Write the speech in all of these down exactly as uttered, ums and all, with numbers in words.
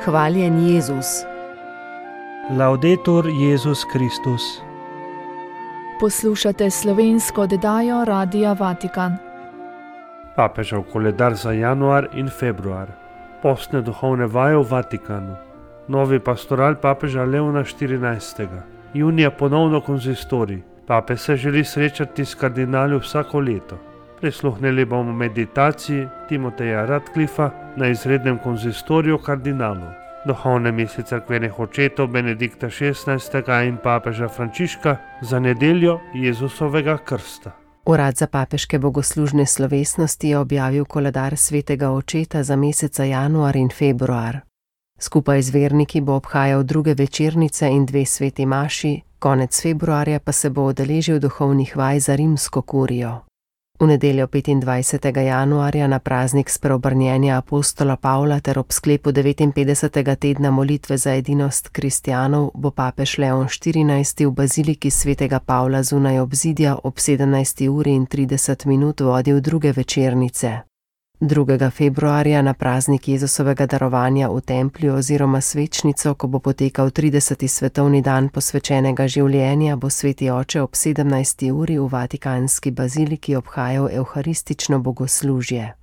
Hvaljen Jezus. Laudetur Jezus Kristus. Poslušate slovensko oddajo Radia Vatikan. Papežev koledar za januar in februar. Postne duhovne vaje v Vatikanu. Novi pastoral papeža Leona štirinajstega. Junija ponovno konzistorij. Pape se želi srečati s kardinali vsako leto. Prisluhnili bomo meditaciji Timoteja Radcliffa na izrednem konzistoriju kardinalov. Duhovne misli cerkvenih očetov Benedikta šestnajstega in papeža Frančiška za nedeljo Jezusovega krsta. Urad za papeške bogoslužne slovesnosti je objavil koledar svetega očeta za meseca januar in februar. Skupaj z verniki bo obhajal druge večernice in dve sveti maši, konec februarja pa se bo udeležil duhovnih vaj za rimsko kurijo. V nedeljo petindvajsetega januarja na praznik spreobrnjenja apostola Pavla ter ob sklepu devetinpetdesetega tedna molitve za edinost kristjanov bo papež Leon štirinajsti v baziliki svetega Pavla zunaj obzidja ob sedemnajsti uri in trideset minut vodil druge večernice. drugega februarja na praznik Jezusovega darovanja v templju oziroma svečnico, ko bo potekal trideseti svetovni dan posvečenega življenja, bo sveti oče ob sedemnajsti uri v vatikanski baziliki obhajal evharistično bogoslužje.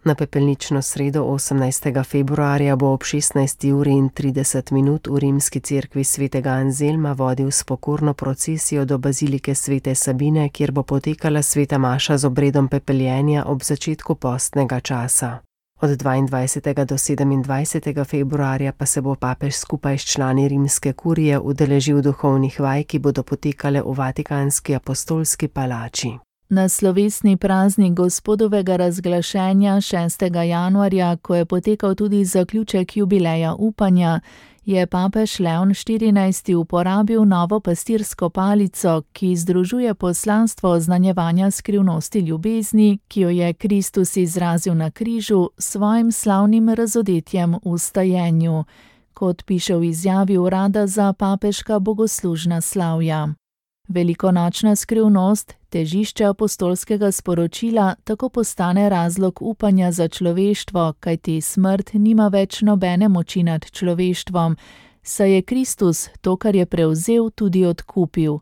Na pepelnično sredo osemnajstega februarja bo ob šestnajsti uri in trideset minut v rimski cerkvi svetega Anzelma vodil spokorno procesijo do bazilike svete Sabine, kjer bo potekala sveta maša z obredom pepeljenja ob začetku postnega časa. Od dvaindvajsetega do sedemindvajsetega februarja pa se bo papež skupaj s člani rimske kurije udeležil duhovnih vaj, ki bodo potekale v vatikanski apostolski palači. Na slovesni praznik Gospodovega razglašenja šestega januarja, ko je potekal tudi zaključek jubileja upanja, je papež Leon štirinajsti uporabil novo pastirsko palico, ki združuje poslanstvo oznanjevanja skrivnosti ljubezni, ki jo je Kristus izrazil na križu s svojim slavnim razodetjem v stajenju, kot piše v izjavi urada za papeška bogoslužna slavja. Velikonočna skrivnost, težišče apostolskega sporočila, tako postane razlog upanja za človeštvo, kajti smrt nima več nobene moči nad človeštvom, saj je Kristus to, kar je prevzel, tudi odkupil.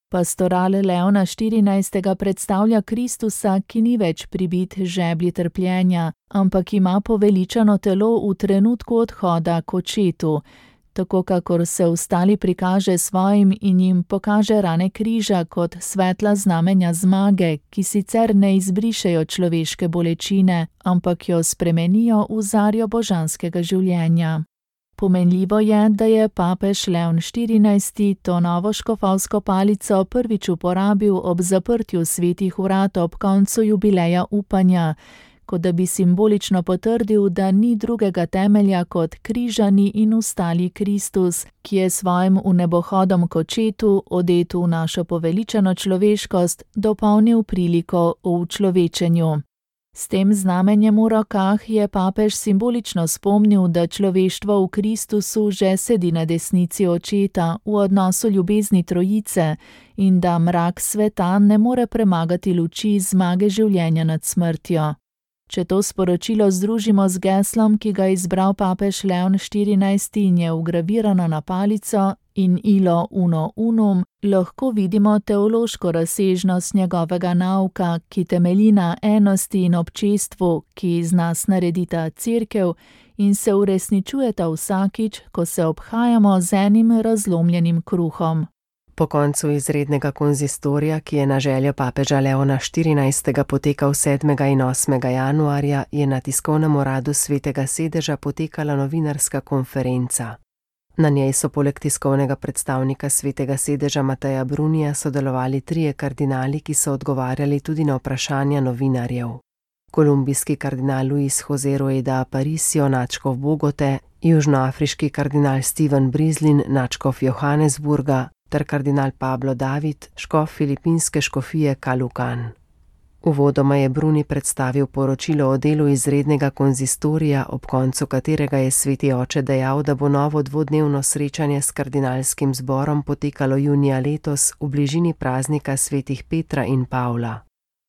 Pastoral Leona štirinajstega predstavlja Kristusa, ki ni več pribit žeblji trpljenja, ampak ima poveličano telo v trenutku odhoda k očetu. Tako kakor se ostali prikaže svojim in jim pokaže rane križa kot svetla znamenja zmage, ki sicer ne izbrišejo človeške bolečine, ampak jo spremenijo v zarjo božanskega življenja. Pomenljivo je, da je papež Leon štirinajsti to novo škofovsko palico prvič uporabil ob zaprtju svetih vrat ob koncu jubileja upanja, kot da bi simbolično potrdil, da ni drugega temelja kot križani in ustali Kristus, ki je svojim vnebohodom k očetu, odet v našo poveličano človeškost, dopolnil priliko o učlovečenju. S tem znamenjem v rokah je papež simbolično spomnil, da človeštvo v Kristusu že sedi na desnici očeta v odnosu ljubezni trojice in da mrak sveta ne more premagati luči zmage življenja nad smrtjo. Če to sporočilo združimo z geslom, ki ga je izbral papež Leon štirinajsti in je vgravirano na palico in ilo uno unum, lahko vidimo teološko razsežnost njegovega nauka, ki temelji na enosti in občestvu, ki iz nas naredita cerkev in se uresničujeta vsakič, ko se obhajamo z enim razlomljenim kruhom. Po koncu izrednega konzistorija, ki je na željo papeža Leona štirinajstega potekal sedmega in osmega januarja, je na tiskovnem uradu svetega sedeža potekala novinarska konferenca. Na njej so poleg tiskovnega predstavnika svetega sedeža Mateja Brunija sodelovali trije kardinali, ki so odgovarjali tudi na vprašanja novinarjev. Kolumbijski kardinal Luis José Rueda Aparicio, nadškof Bogote, južnoafriški kardinal Steven Brislin, nadškof Johannesburga, ter kardinal Pablo David, škof filipinske škofije Kalukan. Uvodoma je Bruni predstavil poročilo o delu izrednega konzistorija, ob koncu katerega je sveti oče dejal, da bo novo dvodnevno srečanje s kardinalskim zborom potekalo junija letos v bližini praznika svetih Petra in Pavla.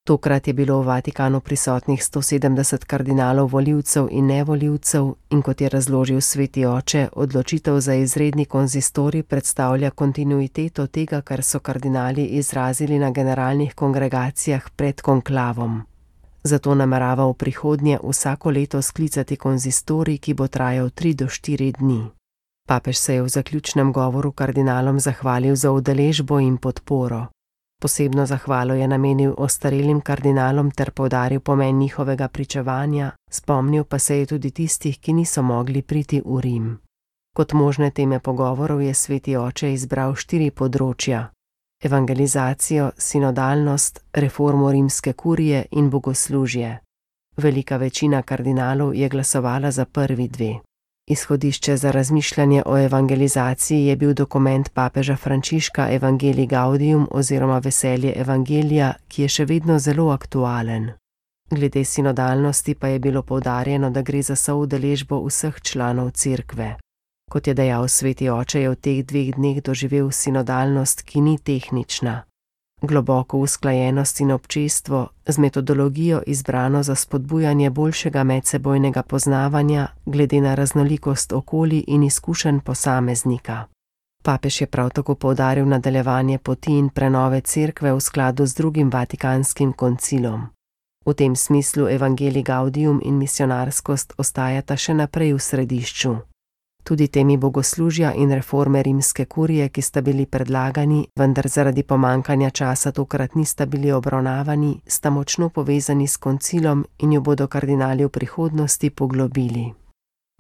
Tokrat je bilo v Vatikanu prisotnih sto sedemdeset kardinalov volivcev in nevolivcev in kot je razložil sveti oče, odločitev za izredni konzistorij predstavlja kontinuiteto tega, kar so kardinali izrazili na generalnih kongregacijah pred konklavom. Zato namerava v prihodnje vsako leto sklicati konzistorij, ki bo trajal tri do štiri dni. Papež se je v zaključnem govoru kardinalom zahvalil za udeležbo in podporo. Posebno zahvalo je namenil ostarelim kardinalom ter poudaril pomen njihovega pričevanja, spomnil pa se je tudi tistih, ki niso mogli priti v Rim. Kot možne teme pogovorov je sveti oče izbral štiri področja: evangelizacijo, sinodalnost, reformo rimske kurije in bogoslužje. Velika večina kardinalov je glasovala za prvi dve. Izhodišče za razmišljanje o evangelizaciji je bil dokument papeža Frančiška Evangelii Gaudium oziroma Veselje evangelija, ki je še vedno zelo aktualen. Glede sinodalnosti pa je bilo poudarjeno, da gre za soudeležbo vseh članov cerkve. Kot je dejal sveti oče, je v teh dveh dneh doživel sinodalnost, ki ni tehnična. Globoko usklajenost in občestvo z metodologijo izbrano za spodbujanje boljšega medsebojnega poznavanja glede na raznolikost okolij in izkušenj posameznika. Papež je prav tako poudaril nadaljevanje poti in prenove cerkve v skladu z drugim Vatikanskim koncilom. V tem smislu Evangelii Gaudium in misionarskost ostajata še naprej v središču. Tudi temi bogoslužja in reforme rimske kurije, ki sta bili predlagani, vendar zaradi pomankanja časa tokrat nista bili obravnavani, sta močno povezani s koncilom in jo bodo kardinali v prihodnosti poglobili.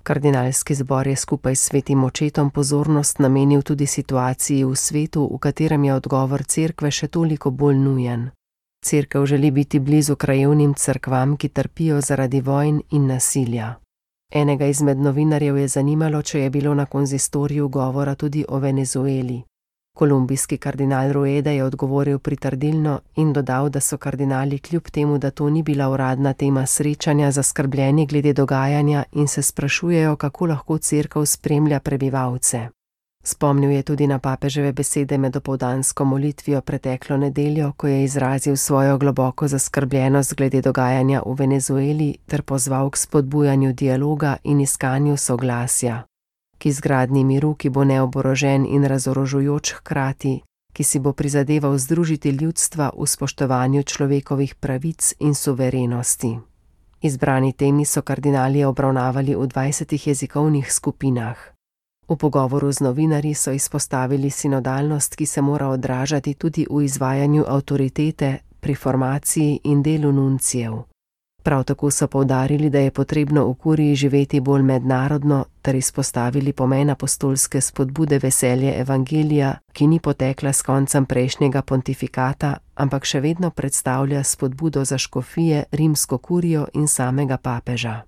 Kardinalski zbor je skupaj s svetim očetom pozornost namenil tudi situaciji v svetu, v katerem je odgovor cerkve še toliko bolj nujen. Cerkev želi biti blizu krajevnim cerkvam, ki trpijo zaradi vojn in nasilja. Enega izmed novinarjev je zanimalo, če je bilo na konzistoriju govora tudi o Venezueli. Kolumbijski kardinal Rueda je odgovoril pritrdilno in dodal, da so kardinali kljub temu, da to ni bila uradna tema srečanja, zaskrbljeni glede dogajanja in se sprašujejo, kako lahko cerkev spremlja prebivalce. Spomnil je tudi na papeževe besede med opoldansko molitvijo preteklo nedeljo, ko je izrazil svojo globoko zaskrbljenost glede dogajanja v Venezueli ter pozval k spodbujanju dialoga in iskanju soglasja, k izgradnji miru, ki bo neoborožen in razorožujoč hkrati, ki si bo prizadeval združiti ljudstva v spoštovanju človekovih pravic in suverenosti. Izbrani temi so kardinali obravnavali v dvajsetih jezikovnih skupinah. V pogovoru z novinarji so izpostavili sinodalnost, ki se mora odražati tudi v izvajanju avtoritete, pri formaciji in delu nuncijev. Prav tako so poudarili, da je potrebno v kuriji živeti bolj mednarodno, ter izpostavili pomen apostolske spodbude Veselje evangelija, ki ni potekla s koncem prejšnjega pontifikata, ampak še vedno predstavlja spodbudo za škofije, rimsko kurijo in samega papeža.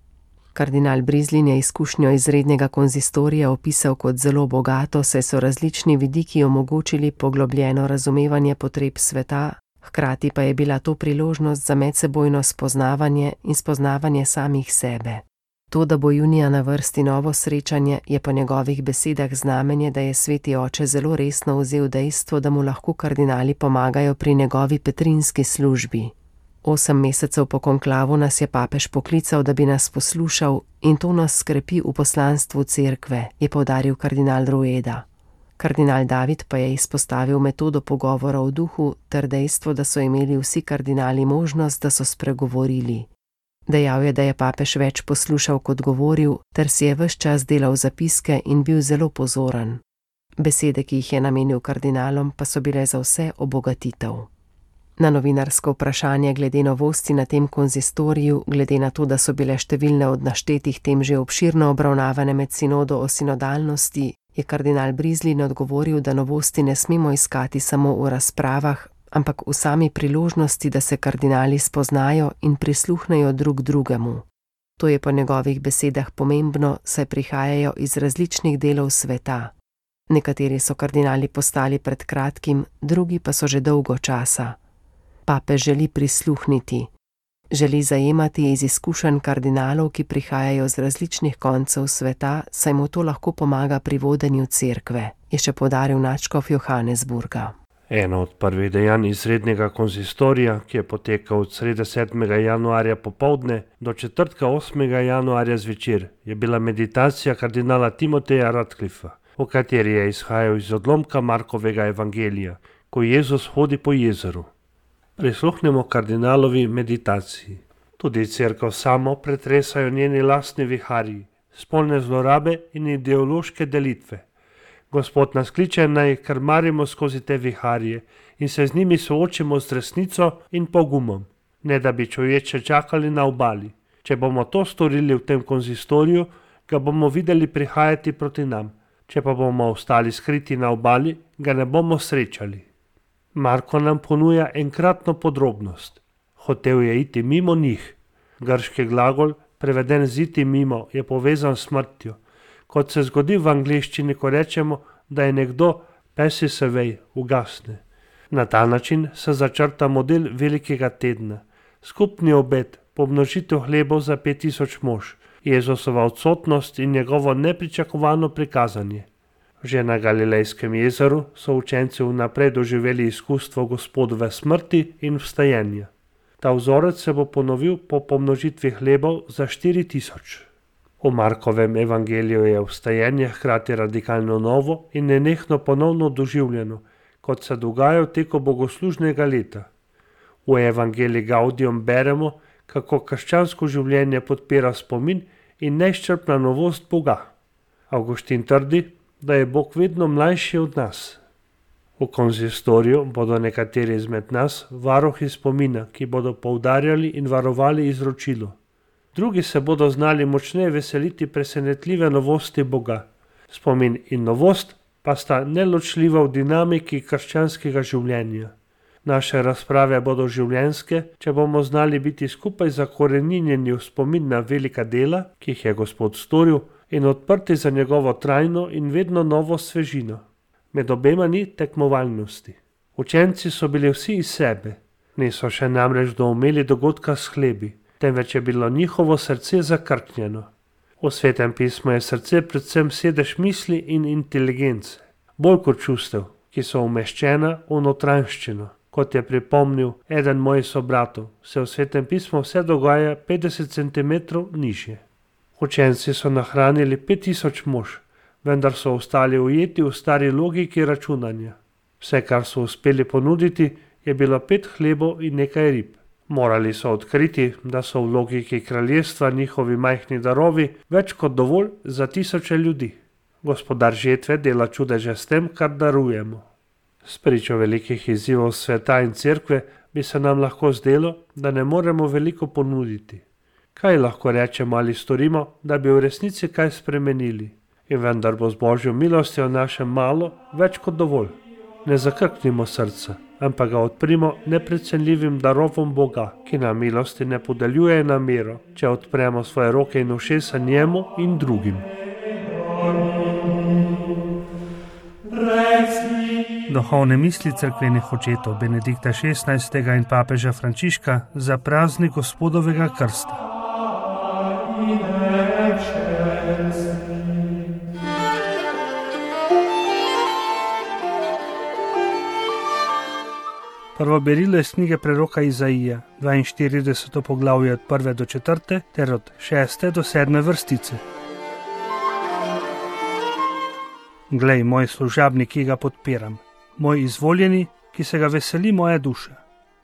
Kardinal Brizlin je izkušnjo izrednega konzistorija opisal kot zelo bogato, saj so različni vidiki omogočili poglobljeno razumevanje potreb sveta, hkrati pa je bila to priložnost za medsebojno spoznavanje in spoznavanje samih sebe. To, da bo junija na vrsti novo srečanje, je po njegovih besedah znamenje, da je sveti oče zelo resno vzel dejstvo, da mu lahko kardinali pomagajo pri njegovi petrinski službi. Osem mesecev po konklavu nas je papež poklical, da bi nas poslušal, in to nas skrepi v poslanstvu cerkve, je poudaril kardinal Rueda. Kardinal David pa je izpostavil metodo pogovora v duhu ter dejstvo, da so imeli vsi kardinali možnost, da so spregovorili. Dejal je, da je papež več poslušal kot govoril, ter si je ves čas delal zapiske in bil zelo pozoren. Besede, ki jih je namenil kardinalom, pa so bile za vse obogatitev. Na novinarsko vprašanje glede novosti na tem konzistoriju, glede na to, da so bile številne od naštetih tem že obširno obravnavane med sinodo o sinodalnosti, je kardinal Brizlin odgovoril, da novosti ne smemo iskati samo v razpravah, ampak v sami priložnosti, da se kardinali spoznajo in prisluhnejo drug drugemu. To je po njegovih besedah pomembno, saj prihajajo iz različnih delov sveta. Nekateri so kardinali postali pred kratkim, drugi pa so že dolgo časa. Papež želi prisluhniti. Želi zajemati iz izkušenj kardinalov, ki prihajajo z različnih koncev sveta, saj mu to lahko pomaga pri vodenju cerkve, je še poudaril nadškof Johannesburga. Eno od prvih dejanj izrednega konzistorija, ki je potekal od srede sedmega januarja popovdne do četrtka osmega januarja zvečer, je bila meditacija kardinala Timoteja Radcliffa, v kateri je izhajal iz odlomka Markovega evangelija, ko Jezus hodi po jezeru. Prisluhnemo kardinalovi meditaciji. Tudi cerkev samo pretresajo njeni lastni viharji, spolne zlorabe in ideološke delitve. Gospod nas kliče, naj krmarimo skozi te viharje in se z njimi soočimo z resnico in pogumom, ne da bi čovječe čakali na obali. Če bomo to storili v tem konzistoriju, ga bomo videli prihajati proti nam. Če pa bomo ostali skriti na obali, ga ne bomo srečali. Marko nam ponuja enkratno podrobnost. Hotel je iti mimo njih. Grški glagol, preveden z iti mimo, je povezan s smrtjo. Kot se zgodi v angleščini, ko rečemo, da je nekdo passes away, ugasne. Na ta način se začrta model velikega tedna. Skupni obed, pomnožitev hlebov za pet tisoč mož, Jezusova odsotnost in njegovo nepričakovano prikazanje. Že na Galilejskem jezeru so učenci vnaprej doživeli izkustvo Gospodove smrti in vstajenja. Ta vzorec se bo ponovil po pomnožitvi hlebov za štiri tisoč. V Markovem evangeliju je vstajenje hkrati radikalno novo in nenehno ponovno doživljeno, kot se dogaja v teku bogoslužnega leta. V evangeliji Gaudium beremo, kako krščansko življenje podpira spomin in neizčrpna novost Boga. Avguštin trdi, da je Bog vedno mlajši od nas. V konzistoriju bodo nekateri izmed nas varuhi spomina, ki bodo poudarjali in varovali izročilo. Drugi se bodo znali močneje veseliti presenetljive novosti Boga. Spomin in novost pa sta neločljiva v dinamiki krščanskega življenja. Naše razprave bodo življenjske, če bomo znali biti skupaj zakoreninjeni v spomin na velika dela, ki jih je Gospod storil, in odprti za njegovo trajno in vedno novo svežino. Med obema ni tekmovalnosti. Učenci so bili vsi iz sebe. Niso še namreč doumeli dogodka s hlebi, temveč je bilo njihovo srce zakrknjeno. V Svetem pismu je srce predvsem sedež misli in inteligence, bolj kot čustev, ki so umeščena v notranjščino. Kot je pripomnil eden mojih sobratov, se v Svetem pismu vse dogaja petdeset centimetrov nižje. Učenci so nahranili pet tisoč mož, vendar so ostali ujeti v stari logiki računanja. Vse, kar so uspeli ponuditi, je bilo pet hlebov in nekaj rib. Morali so odkriti, da so v logiki kraljestva njihovi majhni darovi več kot dovolj za tisoče ljudi. Gospodar žetve dela čudeže s tem, kar darujemo. Spričo velikih izzivov sveta in cerkve bi se nam lahko zdelo, da ne moremo veliko ponuditi. Kaj lahko rečemo ali storimo, da bi v resnici kaj spremenili? In vendar bo z Božjo milostjo našem malo več kot dovolj. Ne zakrknimo srca, ampak ga odprimo neprecenljivim darovom Boga, ki nam milosti ne podeljuje na mero, če odpremo svoje roke in ušesa njemu in drugim. Duhovne misli cerkvenih očetov Benedikta šestnajstega in papeža Frančiška za praznik Gospodovega krsta. Prvo berilo iz knjige preroka Izaija, dvainštirideseto poglavje od prve do četrte ter od šeste do sedme vrstice. Glej, moj služabnik, ki ga podpiram, moj izvoljeni, ki se ga veseli moja duša.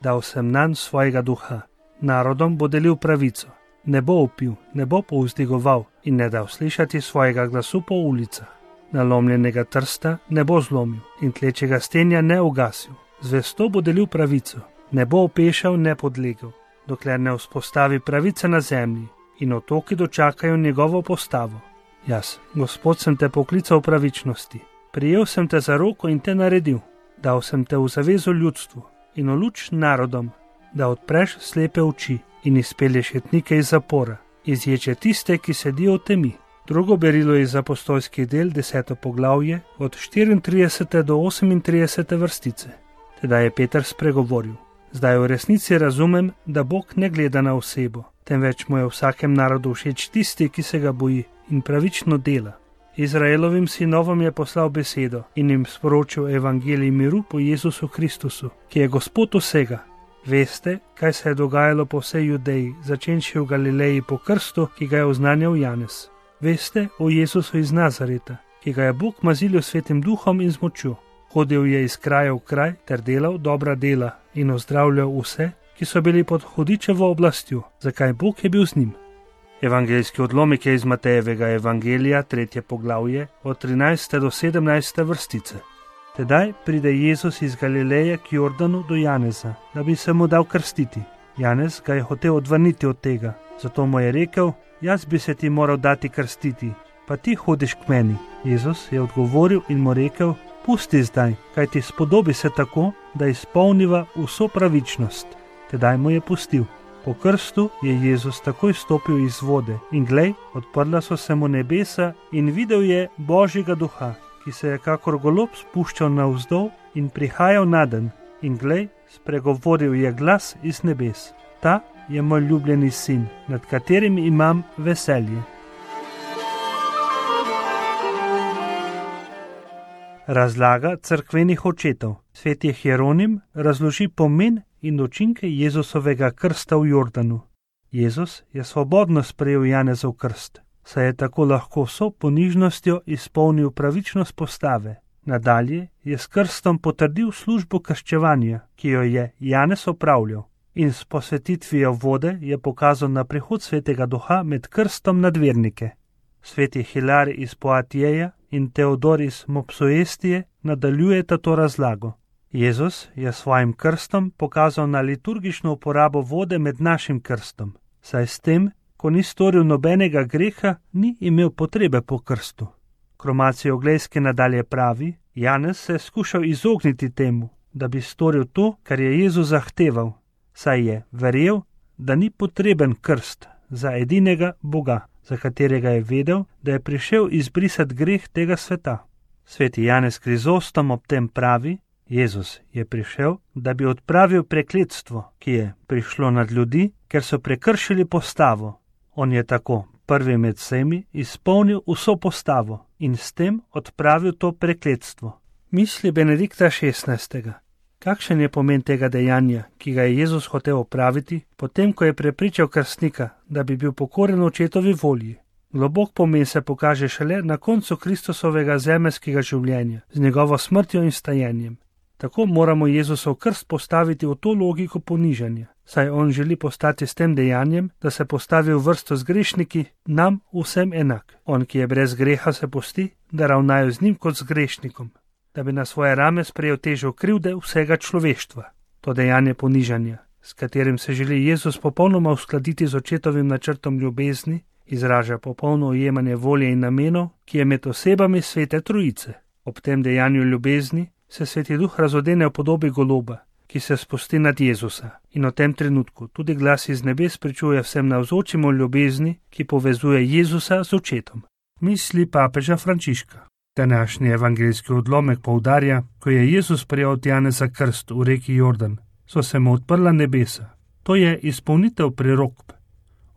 Dal sem nanj svojega duha, narodom bo delil pravico, ne bo upil, ne bo povzdigoval in ne dal slišati svojega glasu po ulicah. Nalomljenega trsta ne bo zlomil in tlečega stenja ne ugasil. Zvesto bo delil pravico, ne bo opešal, ne podlegel, dokler ne vzpostavi pravice na zemlji in otoki dočakajo njegovo postavo. Jaz, Gospod, sem te poklical v pravičnosti, prijel sem te za roko in te naredil, dal sem te v zavezo ljudstvu in v luč narodom, da odpreš slepe oči in izpelješ jetnike iz zapora, izječe tiste, ki sedijo v temi. Drugo berilo iz apostolskih del, deseto poglavje, od štiriintridesete do osemintridesete vrstice. Tedaj je Peter spregovoril: zdaj v resnici razumem, da Bog ne gleda na osebo, temveč mu je v vsakem narodu všeč tisti, ki se ga boji in pravično dela. Izraelovim sinovom je poslal besedo in jim sporočil evangelij miru po Jezusu Kristusu, ki je Gospod vsega. Veste, kaj se je dogajalo po vsej Judeji, začenši v Galileji po krstu, ki ga je oznanjal Janez. Veste o Jezusu iz Nazareta, ki ga je Bog mazilil svetim duhom in z močjo. Hodil je iz kraja v kraj ter delal dobra dela in ozdravljal vse, ki so bili pod hudičevo oblastjo, zakaj Bog je bil z njim. Evangeljski odlomek je iz Matejevega evangelija, tretje poglavje, od trinajste do sedemnajste vrstice. Tedaj pride Jezus iz Galileje k Jordanu do Janeza, da bi se mu dal krstiti. Janez ga je hotel odvrniti od tega, zato mu je rekel: jaz bi se ti moral dati krstiti, pa ti hodiš k meni. Jezus je odgovoril in mu rekel: pusti zdaj, kaj ti spodobi se tako, da izpolniva vso pravičnost. Tedaj mu je pustil. Po krstu je Jezus takoj stopil iz vode in glej, odprla so se mu nebesa in videl je Božjega duha, ki se je kakor golob spuščal navzdol in prihajal nadenj. In glej, spregovoril je glas iz nebes: ta je moj ljubljeni sin, nad katerim imam veselje. Razlaga cerkvenih očetov. Sveti Hieronim razloži pomen in učinke Jezusovega krsta v Jordanu. Jezus je svobodno sprejel Janezov krst, saj je tako lahko vso ponižnostjo izpolnil pravičnost postave. Nadalje je s krstom potrdil službo krščevanja, ki jo je Janez opravljal, in s posvetitvijo vode je pokazal na prihod svetega duha med krstom nad vernike. Sveti Hilar iz Poatijeja in Teodor iz Mopsuestije nadaljujeta to razlago. Jezus je svojim krstom pokazal na liturgično uporabo vode med našim krstom, saj s tem, ko ni storil nobenega greha, ni imel potrebe po krstu. Kromacije Oglejske nadalje pravi: Janez se je skušal izogniti temu, da bi storil to, kar je Jezus zahteval, saj je verjel, da ni potreben krst za edinega Boga, za katerega je vedel, da je prišel izbrisati greh tega sveta. Sveti Janez Krizostom ob tem pravi: Jezus je prišel, da bi odpravil prekletstvo, ki je prišlo nad ljudi, ker so prekršili postavo. On je tako prvi med vsemi izpolnil vso postavo in s tem odpravil to prekletstvo. Misli Benedikta šestnajstega. Kakšen je pomen tega dejanja, ki ga je Jezus hotel opraviti, potem ko je prepričal krstnika, da bi bil pokoren očetovi volji? Globok pomen se pokaže šele na koncu Kristusovega zemeljskega življenja, z njegovo smrtjo in stajenjem. Tako moramo Jezusov krst postaviti v to logiko ponižanja, saj on želi postati s tem dejanjem, da se postavi v vrsto z grešniki, nam vsem enak. On, ki je brez greha, se pusti, da ravnajo z njim kot z grešnikom, da bi na svoje rame sprejel težo krivde vsega človeštva. To dejanje ponižanja, s katerim se želi Jezus popolnoma uskladiti z očetovim načrtom ljubezni, izraža popolno ujemanje volje in namenov, ki je med osebami svete trojice. Ob tem dejanju ljubezni se Sveti Duh razodene v podobi goloba, ki se spusti nad Jezusa, in v tem trenutku tudi glas iz nebes pričuje vsem navzočim o ljubezni, ki povezuje Jezusa z očetom. Misli papeža Frančiška. Današnji evangeljski odlomek poudarja, ko je Jezus prejel od Janeza krst v reki Jordan, so se mu odprla nebesa. To je izpolnitev prerokb.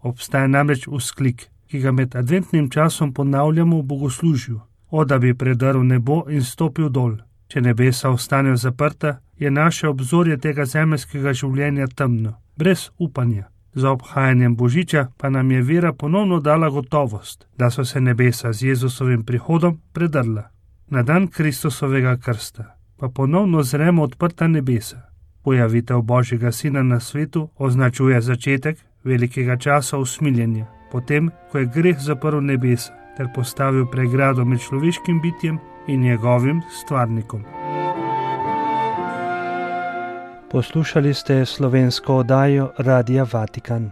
Obstaja namreč vzklik, ki ga med adventnim časom ponavljamo v bogoslužju: o, da bi predrl nebo in stopil dol. Če nebesa ostanejo zaprta, je naše obzorje tega zemeljskega življenja temno, brez upanja. Za obhajanjem Božiča pa nam je vera ponovno dala gotovost, da so se nebesa z Jezusovim prihodom predrla. Na dan Kristusovega krsta pa ponovno zremo odprta nebesa. Pojavitev Božjega Sina na svetu označuje začetek velikega časa usmiljenja, potem, ko je greh zaprl nebesa ter postavil pregrado med človeškim bitjem in njegovim stvarnikom. Poslušali ste slovensko oddajo Radia Vatikan.